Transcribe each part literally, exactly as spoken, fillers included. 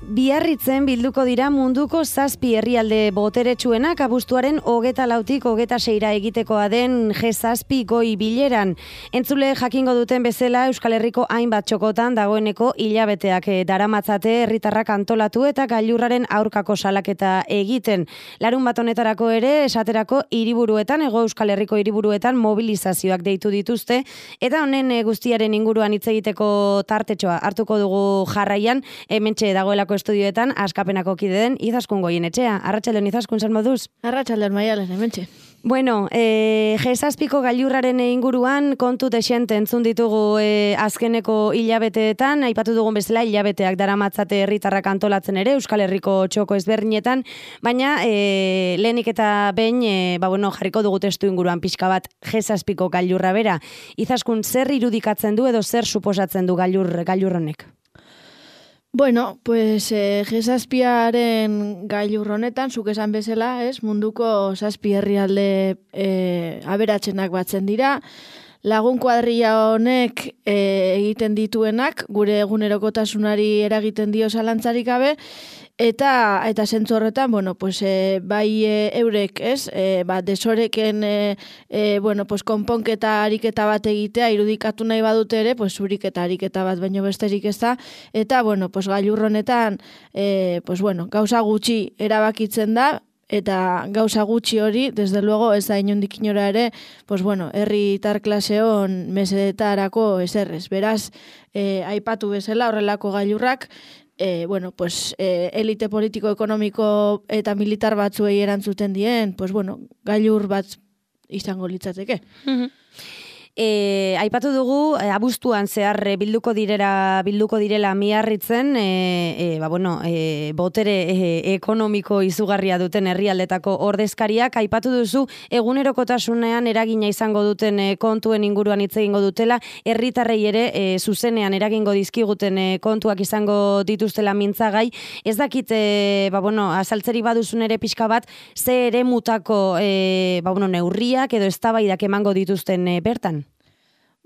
Biarritzen bilduko dira munduko zazpi herrialde boteretsuenak abuztuaren hogeta lautik hogeta seira egitekoa den G zazpi goi bileran. Entzule jakingo duten bezala Euskal Herriko hainbat txokotan dagoeneko hilabeteak daramatzate herritarrak antolatu eta gailurraren aurkako salaketa egiten. Larun bat honetarako ere esaterako hiriburuetan, Hego Euskal Herriko hiriburuetan mobilizazioak deitu dituzte eta honen guztiaren inguruan hitz egiteko tartetxoa hartuko dugu jarraian, hementxe dagoelako estudioetan askapenako kide den Izaskun Goienetxea. Arratsaldeon Izaskun, zer moduz? Arratsaldeon Maialen, hementxe. Bueno, e, G zazpiko gailurraren inguruan kontu desente entzun ditugu e, azkeneko hilabeteetan, aipatu dugun bezala hilabeteak daramatzate herritarrak antolatzen ere Euskal Herriko txoko ezberdinetan, baina e, lehenik eta behin e, ba, bueno, jarriko dugu testu inguruan pixka bat G zazpiko gailurra bera. Izaskun, zer irudikatzen du edo zer suposatzen du gailur, gailur honek? Bueno, pues eh, G zazpiaren gailur honetan, zuk esan bezala, ez, munduko zazpi herrialde eh, aberatsenak batzen dira. Lagun kuadrilla honek eh, egiten dituenak, gure egunerokotasunari eragiten dio zalantzarik gabe, eta eta zentzu horretan, bueno, pues eh, bai eh, eurek, ez, eh, ba, desoreken eh, eh, bueno, pues konponketa ariketa bat egitea irudikatu nahi badute ere, pues zuriketa ariketa bat baino besterik ez da, eta bueno, pues gailur honetan eh, pues bueno, gauza gutxi erabakitzen da, eta gauza gutxi hori, desde luego, ez da inondik inora ere, pues bueno, herritar klase hon mesedetarako eserrez. Beraz, eh, aipatu bezala horrelako gailurrak, eh, bueno, pues eh, elite politiko, ekonomiko eta militar batzuei erantzuten dien, pues bueno, gailur bat izango litzateke. Mm-hmm. E, aipatu dugu, e, abuztuan zehar e, bilduko direra bilduko direla Miarritzen, e, e, ba, bueno, e, botere e, ekonomiko izugarria duten herrialdetako ordezkariak, aipatu duzu egunerokotasunean eragina izango duten e, kontuen inguruan hitz egingo dutela, herritarrei ere e, zuzenean eragingo dizkiguten e, kontuak izango dituztela mintzagai. Ez dakit, e, ba, bueno, azaltzeri baduzun ere pixka bat, ze ere mutako e, ba, bueno, neurriak edo eztabaidak emango dituzten e, bertan?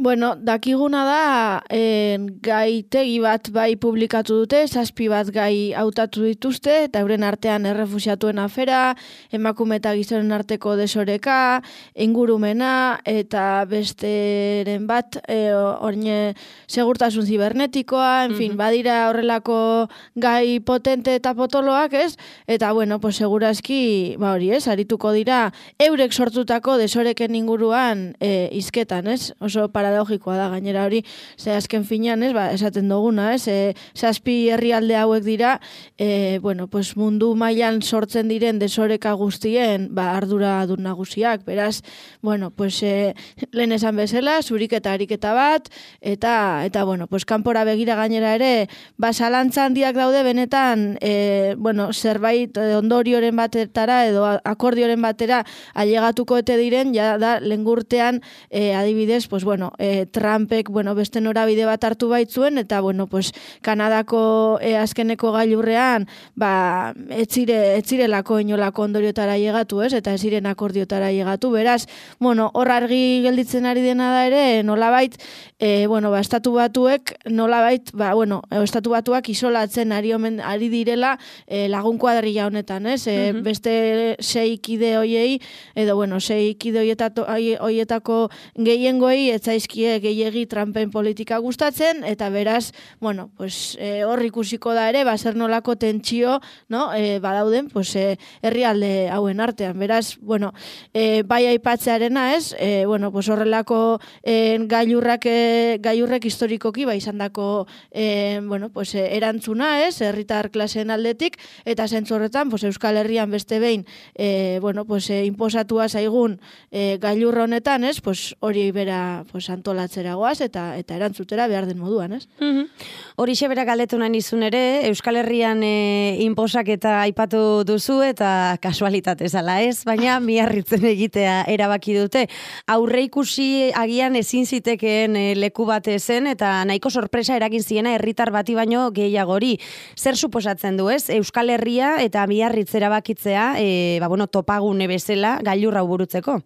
Bueno, dakiguna da, eh, gaitegi bat bai publikatu dute, zazpi bat gai hautatu dituzte, eta euren artean errefusiatuen afera, emakume eta gizonen arteko desoreka, ingurumena, eta besteren bat, eh, orne, segurtasun zibernetikoa, en fin, mm-hmm. badira horrelako gai potente eta potoloak, ez? Eta, bueno, pues segurazki, ba hori, ez? Arituko dira, eurek sortutako desoreken inguruan eh, izketan, ez? Oso para paradoxikoa da gainera hori, ze azken finean, ez, ba, esaten duguna, ez, e, zazpi herrialde hauek dira, e, bueno, pues mundu mailan sortzen diren desoreka guztien, ba, ardura dun nagusiak, beraz, bueno, pues e, lehen esan bezala, zurik eta ariketa bat, eta, eta, bueno, pues kanpora begira gainera ere, ba, zalantza handiak daude benetan, e, bueno, zerbait ondorioren batetara, edo akordioren batera ailegatuko ete diren, ja da, lengurtean, e, adibidez, pues, bueno, E, Trumpek, bueno, beste norabide bat hartu baitzuen, eta, bueno, pues, Kanadako e, azkeneko gailurrean, ba, etzire, etzirelako inolako ondoriotara llegatu, ez, eta ez ziren akordiotara llegatu, beraz, bueno, hor argi gelditzen ari dena da ere, nolabait, e, bueno, ba, estatu batuek, nolabait, ba, bueno, estatu batuak isolatzen ari, omen, ari direla e, lagun kuadrilla honetan, ez, e, mm-hmm. beste sei kide hoiei, edo, bueno, sei kide hoietako gehiengoei, etzaizki gehiegi Trumpen politika gustatzen, eta beraz, bueno, pues, e, hor ikusiko da ere, baser nolako tentsio, no, e, badauden, pues, e, herrialde hauen artean, beraz, bueno, e, bai aipatzearena ez, e, bueno, pues, horrelako e, gailurrak, e, gailurrek historikoki, bai izandako, e, bueno, pues, e, erantzuna ez, herritar klaseen aldetik, eta zentzu horretan, pues, Euskal Herrian beste behin, e, bueno, pues, e, inposatua zaigun e, gailurra honetan, ez, pues, hori bera, pues, antolatzera goaz eta eta erantzutera behar den moduan, ez? Mm-hmm. Horixe bera galdetu nahi nizun ere, Euskal Herrian e, inposak eta aipatu duzu eta kasualitatez ala ez, baina Miarritzen egitea erabaki dute. Aurre ikusi agian ezin zitekeen e, leku bate zen eta nahiko sorpresa eragin ziena herritar bati baino gehiagori. Zer suposatzen du, ez? Euskal Herria eta Miarritz erabakitzea, e, ba, bueno, topagune bezala gailurra burutzeko.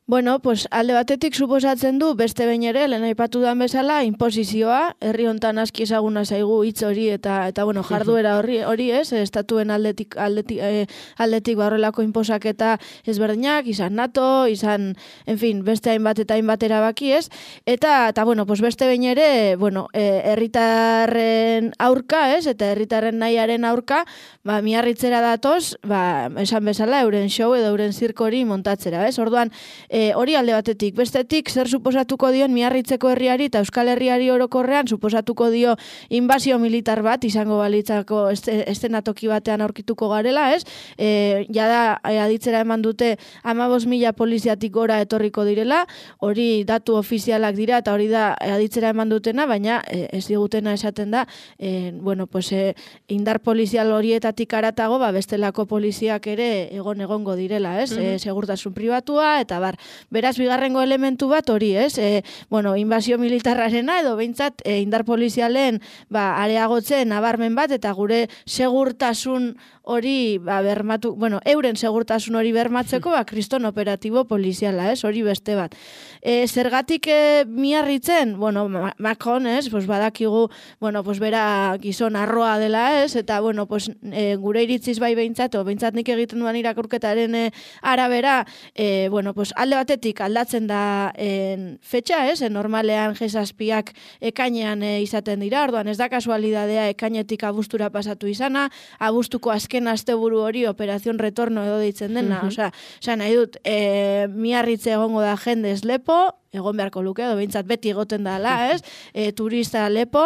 Bueno, pues alde batetik suposatzen du beste behin ere lehen aipatu dan bezala inposizioa, herri hontan aski ezaguna zaigu hitz hori eta eta bueno, jarduera hori hori ez, estatuen aldetik aldetik eh, aldetik horrelako inposaketa ezberdinak, izan NATO, izan, en fin, beste hainbat eta hainbat erabaki, ez? Eta eta bueno, pues beste behin ere, bueno, eh, herritarren aurka, ez? Eta herritarren nahiaren aurka, ba Miarritzera datoz, ba esan bezala euren show edo euren zirko hori montatzera, ez? Orduan E, hori alde batetik, bestetik zer suposatuko dion Miarritzeko herriari eta Euskal Herriari orokorrean suposatuko dio inbasio militar bat izango balitzako estenatoki batean aurkituko garela, ez? E, jada aditzera eman dute hamabost mila poliziatik gora etorriko direla, hori datu ofizialak dira eta hori da aditzera eman dutena, baina e, ez digutena esaten da, e, bueno, pues, e, indar polizial horietatik aratago, ba, bestelako poliziak ere egon egongo direla, ez? Mm-hmm. E, segurtasun pribatua eta bar. Beraz, bigarrengo elementu bat hori, ez? E, bueno, inbasio militarrarena edo behintzat e, indar polizialen ba, areagotzen nabarmen bat eta gure segurtasun hori ba, bermatu, bueno, euren segurtasun hori bermatzeko ba, kriston operatibo poliziala, ez? Hori beste bat. E, zergatik e, Miarritzen? Bueno, Macron, ez? Pues badakigu, bueno, pues bera gizon arroa dela, ez? Eta, bueno, pues e, gure iritziz bai behintzat, o behintzat nik egiten duan irakurketaren e, arabera, e, bueno, pues alde batetik aldatzen da en, fetxa, ez? En normalean G zazpiak ekainean e, izaten dira, orduan ez da kasualidadea ekainetik abuztura pasatu izana, abuztuko azken asteburu hori operazion retorno edo deitzen dena, uh-huh. Osea, osea, nahi dut, e, Miarritze egongo da jendez lepo, egon beharko luke, edo behintzat beti egoten dala, ez? E, turista lepo,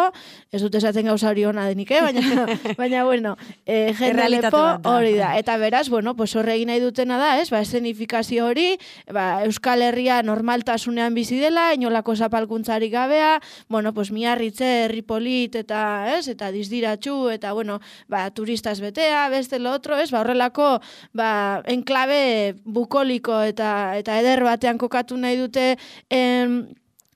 ez dut esaten gauza hori hona denik, eh? Baina, baina bueno, e, jende lepo hori da. Eta beraz, bueno, pues horre egin nahi dutena da, ez? Ba, escenifikazio hori, ba, Euskal Herria normaltasunean bizi dela, inolako zapalkuntzarik gabea, bueno, pues Miarritze, herri polit, eta, ez? Eta dizdiratxu, eta, bueno, ba, turistas betea, beste lo otro, ez? Ba, horrelako, ba, enklabe bukoliko eta, eta eder batean kokatu nahi dute, em,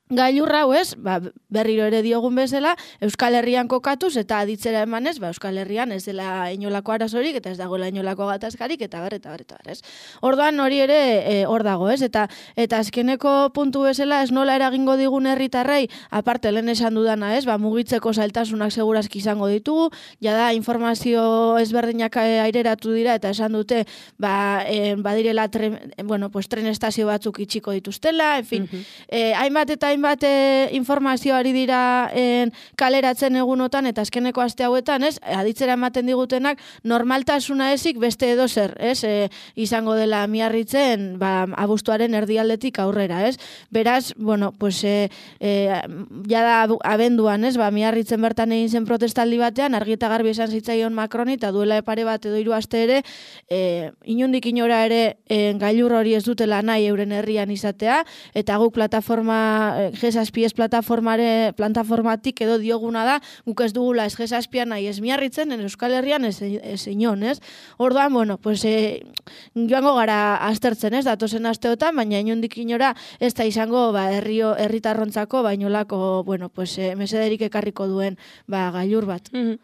gailurra hau ez, ba, berriro ere diogun bezala, Euskal Herrian kokatuz eta aditzera emanez, ba, Euskal Herrian ez dela inolako arazorik eta ez dagoela inolako gatazkarik eta bar, eta bar, eta bar, ez. Orduan hori ere e, hor dago, ez, eta eta azkeneko puntu bezala ez nola eragingo digun herritarrei, aparte lehen esan dudana, ez, ba, mugitzeko zailtasunak segurazki izango ditugu, jada informazio ezberdinak aireratu dira eta esan dute, ba, e, badirela tren, bueno, pues, tren estazio batzuk itxiko dituztela, en fin, uh-huh. e, hainbat eta hainbat e, informazio ari dira en, kaleratzen egunotan eta azkeneko aste hauetan, ez? Aditzera ematen digutenak normaltasuna ezik beste edo zer, ez? E, izango dela Miarritzen, ba, abuztuaren erdialdetik aurrera, ez? Beraz, bueno, pues e, e, jada abenduan, ez? Ba, Miarritzen bertan egin zen protestaldi batean, argi eta garbi esan zitzaion Macroni eta duela pare bat edo hiru aste ere, e, inondik inora ere e, gailur hori ez dutela nahi euren herrian izatea, eta guk plataforma G zazpi ez plataformare, plataformatik edo dioguna da, guk ez dugula ez G zazpian nahi ez Miarritzen, en Euskal Herrian ez, ez inon, ez? Orduan, bueno, pues, e, joango gara aztertzen, ez, datozen asteotan, baina inondik inora ez da izango, ba, herrio, herritarrontzako, bainolako, bueno, pues, e, mesederik ekarriko duen, ba, gailur bat. Mm-hmm.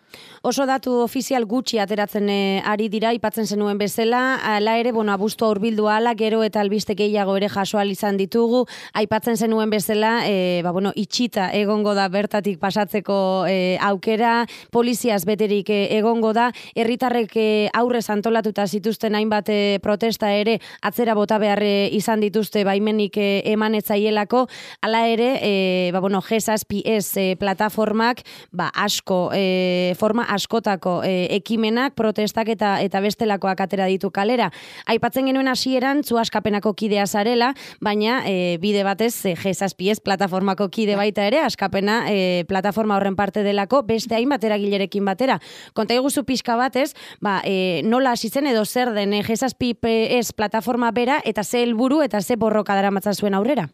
Oso datu ofizial gutxi ateratzen e, ari dira, ipatzen zenuen bezala, ala ere, bueno, abuztua hurbildu ala, gero eta albiste gehiago ere jasoal izan ditugu, aipatzen zenuen bezala, e, ba, bueno, itxita egongo da bertatik pasatzeko e, aukera, poliziaz beterik e, egongo da, herritarrek e, aurrez antolatuta zituzten hainbat e, protesta ere atzera bota behar e, izan dituzte baimenik e, eman etzaielako, hala ere, e, ba, bueno, G zazpi ez e, plataformak, ba, asko, e, forma askotako e, ekimenak, protestak eta eta bestelakoak atera ditu kalera. Aipatzen genuen hasieran zu askapenako kidea zarela, baina e, bide batez e, G zazpi ez plataformako kide baita ere, askapena e, plataforma horren parte delako, beste hainbat eragilerekin batera. Konta iguzu pixka batez, ba, e, nola hasi zen edo zer den e, G zazpi ez plataforma bera eta ze helburu eta ze borroka daramatza zuen aurrera?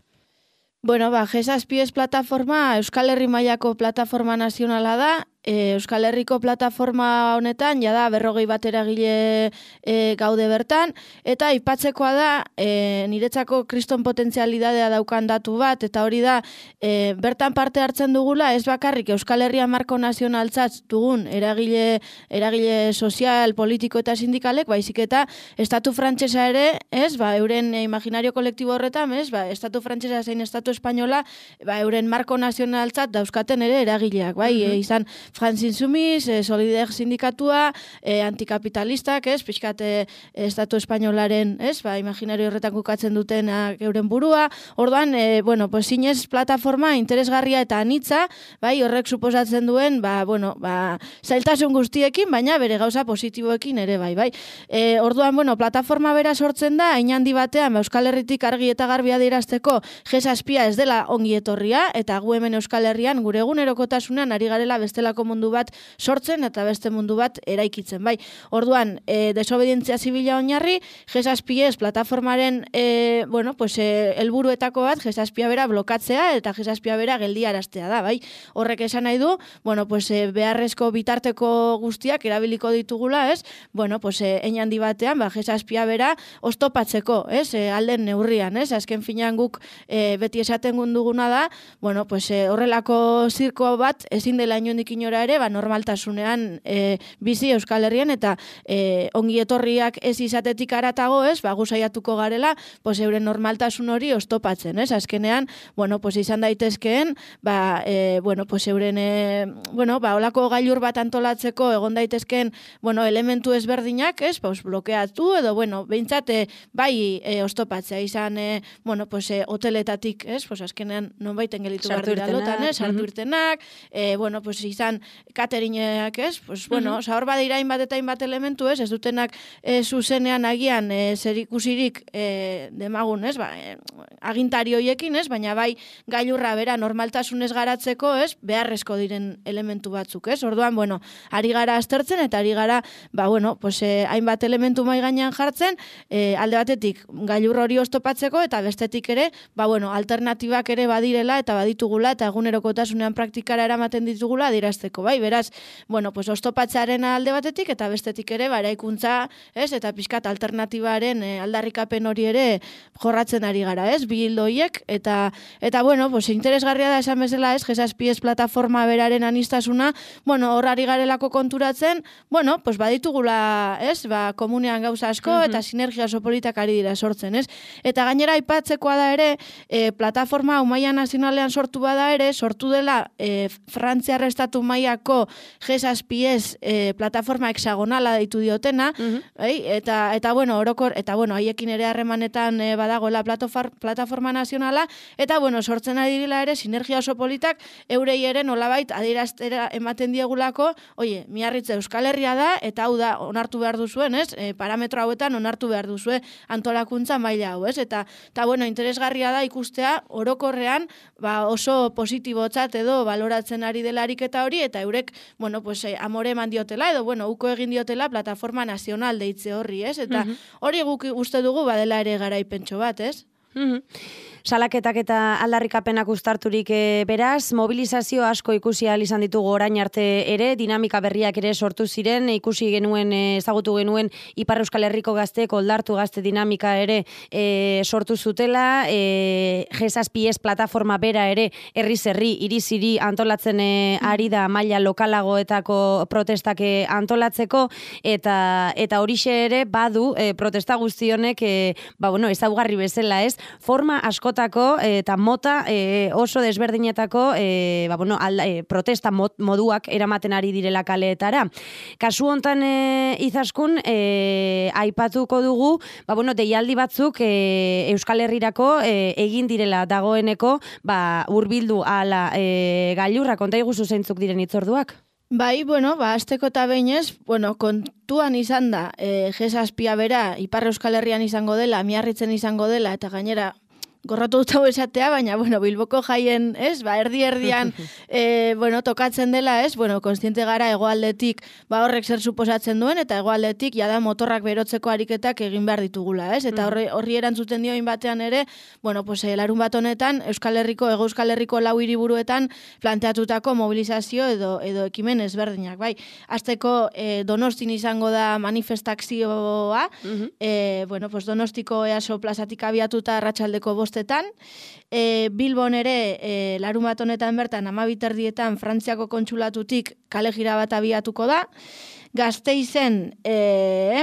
Bueno, ba, G zazpi ez plataforma Euskal Herri mailako plataforma nazionala da, e, Euskal Herriko plataforma honetan, jada berrogei bat eragile e, gaude bertan, eta aipatzekoa da, e, niretzako kriston potentzialidadea daukan datu bat, eta hori da, e, bertan parte hartzen dugula, ez bakarrik Euskal Herria marko nazionaltzat dugun eragile, eragile sozial, politiko eta sindikalek, baizik eta estatu frantsesa ere, ez, ba, euren imaginario kolektibo horretan, ez, ba, estatu frantsesa zein estatu espainola, ba, euren marko nazionaltzat dauzkaten ere eragileak, bai, mm -hmm. e, izan Frantzin Sumis, e, Solidaire sindikatua, e, antikapitalistak, ez, pixkat e, estatu espainolaren, ez, ba, imaginario horretan kukatzen duten euren burua, orduan, e, bueno, pues, zinez plataforma interesgarria eta anitza, bai, horrek suposatzen duen, ba, bueno, ba, zailtasun guztiekin, baina bere gauza positiboekin ere, bai, bai. E, orduan, bueno, plataforma bera sortzen da, hain handi batean, ba, Euskal Herritik argi eta garbi adierazteko G zazpia ez dela ongi etorria, eta gu hemen Euskal Herrian gure egunerokotasunean ari garela bestelako mundu bat sortzen eta beste mundu bat eraikitzen, bai. Orduan, e, desobedientzia zibila oinarri, G zazpi ez plataformaren, e, bueno, pues, e, helburuetako bat G zazpia bera blokatzea eta G zazpia bera geldiaraztea da, bai. Horrek esan nahi du, bueno, pues, e, beharrezko bitarteko guztiak erabiliko ditugula, ez? Bueno, pues, e, hein handi batean, ba, G zazpia bera oztopatzeko, ez? E, alden neurrian, ez? Azken finean guk e, beti esaten duguna da, bueno, pues, e, horrelako zirko bat ezin dela inondik inora ere, ba, normaltasunean e, bizi Euskal Herrian eta e, ongi etorriak ez izatetik aratago, ez? Ba, gu saiatuko garela, pues, euren normaltasun hori oztopatzen, ez? Azkenean, bueno, pues, izan daitezkeen, ba, e, bueno, pues, euren, e, bueno, ba, olako gailur bat antolatzeko egon daitezkeen, bueno, elementu ezberdinak, ez? Pues, blokeatu edo, bueno, behintzate, bai, e, oztopatzea izan, e, bueno, pues, e, hoteletatik, ez? Pues, azkenean, non baiten gelitu behar dira lotan, ez? Sartu irtenak, e, bueno, pues, izan cateringeak, ez? Pues, bueno, uh -huh. Hor badira hainbat eta hainbat elementu, ez? Ez dutenak e, zuzenean agian e, zer ikusirik e, demagun, ez? Ba, e, agintari hoiekin, ez? Baina bai gailurra bera normaltasunez garatzeko, ez? Beharrezko diren elementu batzuk, ez? Orduan, bueno, ari gara aztertzen eta ari gara, ba, bueno, pues, e, hainbat elementu mai gainean jartzen, e, alde batetik gailur hori oztopatzeko eta bestetik ere, ba, bueno, alternatibak ere badirela eta baditugula eta egunerokotasunean praktikara eramaten ditugula adierazteko, bai? Beraz, bueno, pues, oztopatzaren alde batetik eta bestetik ere, ba, eraikuntza, ez? Eta pixkat alternatibaren e, aldarrikapen hori ere jorratzen ari gara, ez? Bi hildo hiek, eta, eta, bueno, pues, interesgarria da esan bezala, ez? G zazpi ez plataforma beraren anistasuna, bueno, hor ari garelako konturatzen, bueno, pues, baditugula, ez? Ba, komunean gauza asko, uh -huh. eta sinergia oso politak ari dira sortzen, ez? Eta gainera aipatzekoa da ere, e, plataforma maila nazionalean sortu bada ere, sortu dela e, Frantziar estatu mailako G zazpi ez e, plataforma hexagonala deitu diotena, uh -huh. bai? eta, eta, bueno, orokor, eta, bueno, haiekin ere harremanetan e, badagoela plataforma nazionala, eta, bueno, sortzen ari dira ere, sinergia oso politak, eurei ere nolabait adieraztera ematen diegulako, oie, miarritze Euskal Herria da, eta hau da, onartu behar duzuen, ez? E, parametro hauetan onartu behar duzue antolakuntza maila hau, ez? Eta, eta bueno, interesgarria da ikustea orokorrean, ba, oso positibotzat edo baloratzen ari delarik eta hori, eta eurek, bueno, pues, eh, amore eman diotela, edo, bueno, uko egin diotela plataforma nazional deitze horri, ez? Eta uh -huh. hori guk uste dugu badela ere garaipentxo bat, ez? Uh -huh. Salaketak eta aldarrikapenak uztarturik e, beraz, mobilizazio asko ikusi ahal izan ditugu orain arte ere, dinamika berriak ere sortu ziren, ikusi genuen, e, ezagutu genuen Ipar Euskal Herriko gazteek oldartu gazte dinamika ere e, sortu zutela, e, G zazpi ez plataforma bera ere herriz herri, hiriz hiri antolatzen e, ari da maila lokalagoetako protestak e, antolatzeko, eta eta horixe ere badu e, protesta guztionek, e, ba, bueno, ezaugarri bezala, ez? Forma asko eta mota e, oso desberdinetako e, ba, bueno, alda, e, protesta mod, moduak eramaten ari direla kaleetara. Kasu hontan e, Izaskun e, aipatuko dugu, ba, bueno, deialdi batzuk e, Euskal Herrirako e, egin direla dagoeneko, ba, hurbildu ala e, gailurra, konta iguzu zeintzuk diren hitzorduak? Bai, bueno, ba, azteko eta behinez, bueno, kontuan izan da, e, G zazpia bera, Ipar Euskal Herrian izango dela, Miarritzen izango dela, eta gainera, gorrotu dut hau esatea, baina, bueno, Bilboko jaien, ez, ba, erdi-erdian, e, bueno, tokatzen dela, ez, bueno, konstiente gara hegoaldetik, ba, horrek zer suposatzen duen, eta hegoaldetik, jada motorrak berotzeko ariketak egin behar ditugula, ez, eta horri, horri erantzuten dioin batean ere, bueno, pues, e, larun bat honetan, Euskal Herriko, Ego Euskal Herriko lau hiriburuetan planteatutako mobilizazio edo, edo ekimen ezberdinak, bai, azteko e, Donostin izango da manifestakzioa, uh-huh. e, bueno, pues, Donostiko easo plazatik abiatuta arratsaldeko bostetan, e, Bilbon ere e, larun bat honetan bertan amabiterdietan Frantziako kontsulatutik kale jira bat abiatuko da, Gasteizen e,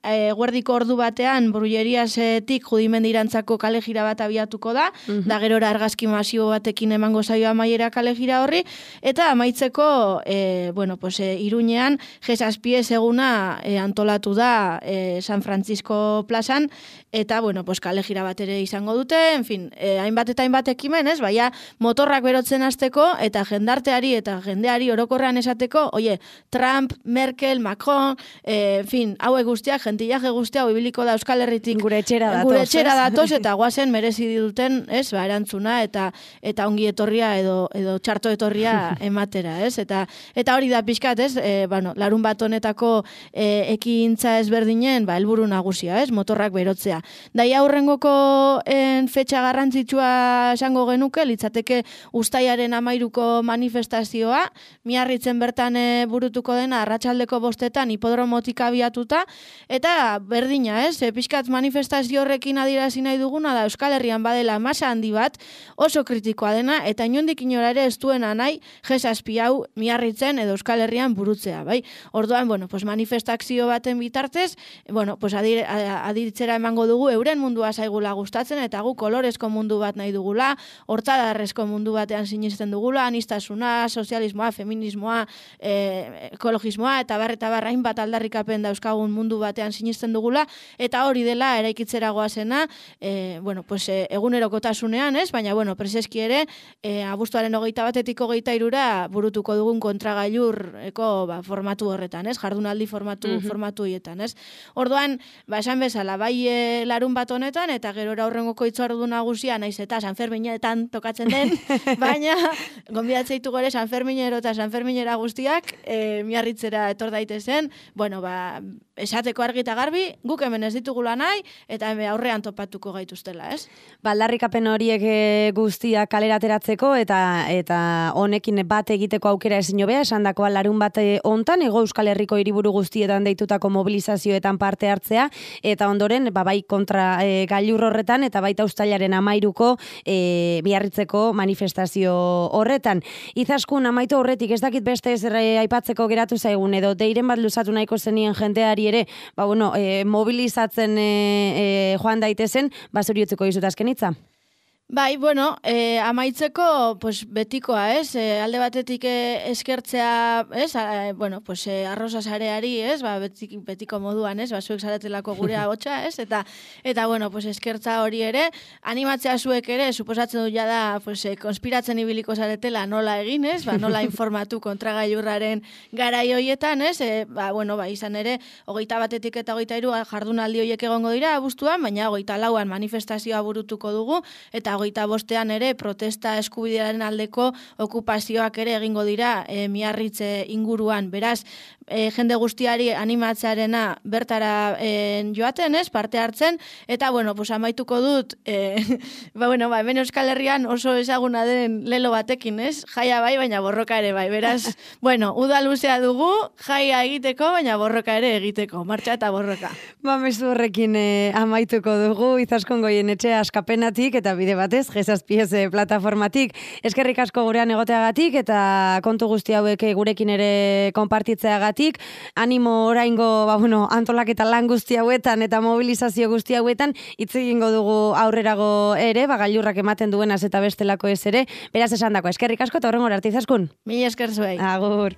e, guerdiko ordu batean Brulleriasetik Judimendirantzako kale jira bat abiatuko da, uh-huh. da gerora argazki masibo batekin emango zaio amaiera kale jira horri, eta amaitzeko e, bueno, pues, e, Iruñean Jesazpiez eguna e, antolatu da e, San Francisco plazan, eta bueno, pues, kale jira bat ere izango dute, en fin, e, hainbat eta hainbat ekimen, ez, baina motorrak berotzen hasteko eta jendarteari eta jendeari orokorrean esateko, oie, Trump, Merkel, Macron, eh, en fin, hauek guztiak, gentillaje guztia, ibiliko da Euskal Herritik gure etxera datoz, gure etxera datoz eta guazen merezi duten, ez, ba, erantzuna eta eta ongi etorria edo edo txarto etorria ematera, ez? Eta eta hori da pixkat, ez? E, bueno, larun bat honetako e, ekintza ezberdinen, ba, helburu nagusia, ez? Motorrak berotzea. Daia aurrengoko en fetxa garrantzitsua esango genuke, litzateke uztailaren hamairuko manifestazioa, Miarritzen bertan e, burutuko dena arratsaldeko bostetan hipodromotik abiatuta, eta berdina, ez? E, pixkat manifestazio horrekin adierazi nahi duguna da Euskal Herrian badela masa handi bat, oso kritikoa dena, eta inondik inora ere ez duena nahi Jesazpi hau Miarritzen edo Euskal Herrian burutzea, bai? Orduan, bueno, pues manifestazio baten bitartez, bueno, pues adir, adiritzera emango dugu euren mundua zaigula gustatzen, eta gu kolorezko mundu bat nahi dugula, hortzadarrezko mundu batean sinisten dugula, anistasuna, sozialismoa, feminismoa, e, ekologismoa, eta bar, eta barrain bat aldarrikapen dauzkagun mundu batean sinisten dugula, eta hori dela eraikitzera goazena, e, bueno, pues, e, egunerokotasunean, ez? Baina, bueno, preseski ere, e, abuztuaren hogeita batetik hogeita irura burutuko dugun kontragailurreko ba, formatu horretan, ez? Jardunaldi formatu, uh-huh. formatu hietan, ez? Orduan, ba, esan bezala, bai e, larun bat honetan, eta gerora horrengoko itzordu nagusia, naiz eta San Ferminetan tokatzen den, baina, gonbidatzeitu gore San Ferminero eta San Ferminera guztiak, e, Miarritzera etor daitezen, bueno, ba, esateko argi eta garbi, guk hemen ez ditugula nahi, eta hemen aurrean topatuko gaituztela, ez? Baldarrikapen horiek guztiak kalera ateratzeko eta eta honekin bat egiteko aukera ezin hobea, esandakoa larun bat hontan Hego Euskal Herriko hiriburu guztietan deitutako mobilizazioetan parte hartzea, eta ondoren ba, bai kontra e, gailur horretan eta baita uztailaren hamairuko e, Miarritzeko manifestazio horretan. Izaskun amaitu horretik ez dakit beste ez aipatzeko geratu zaigun edo deiren bat luzatu nahiko zenien jendeari ere, ba bueno, e, mobilizatzen e, e, joan daitezen, ba zuri utziko dizut azken hitza. Bai, bueno, eh, amaitzeko pues, betikoa, ez? Eh, alde batetik eh, eskertzea, ez? Eh, bueno, pues, eh, arroza sareari, ez? Ba, betik, betiko moduan, ez? Ba, zuek zaretelako gure agotxa, ez? Eta, eta bueno, pues, eskertza hori ere, animatzea zuek ere, suposatzen du ja da, pues, eh, konspiratzen ibiliko zaretela nola egin, ez? Ba, nola informatu kontragailurraren garai hoietan, ez? Eh, ba, bueno, ba, izan ere, hogeita batetik eta hogeita hiru jardunaldi horiek egongo dira, abuztuan, baina hogeita lauan manifestazioa burutuko dugu, eta hogeita bostean ere protesta eskubidearen aldeko okupazioak ere egingo dira e, Miarritze inguruan. Beraz, e, jende guztiari animatzearena bertara e, joaten, ez, parte hartzen, eta, bueno, pues, amaituko dut, e, ba, bueno, ba, hemen Euskal Herrian oso ezaguna den lelo batekin, ez, jaia bai, baina borroka ere bai. Beraz, bueno, uda luzea dugu, jaia egiteko, baina borroka ere egiteko, martxa eta borroka. Ba, mezu horrekin e, amaituko dugu, Izaskun Goienetxe askapenatik, eta bide batez, Jesazpiez plataformatik. Eskerrik asko gurean egoteagatik eta kontu guzti hauek gurekin ere konpartitzeagatik. Animo oraingo, ba, bueno, antolaketa lan guzti hauetan eta mobilizazio guzti hauetan hitz egingo dugu aurrerago ere, ba, gailurrak ematen duenaz eta bestelako ez ere. Beraz esandako, eskerrik asko eta horrengora arte Izaskun. Mila esker zuei. Agur.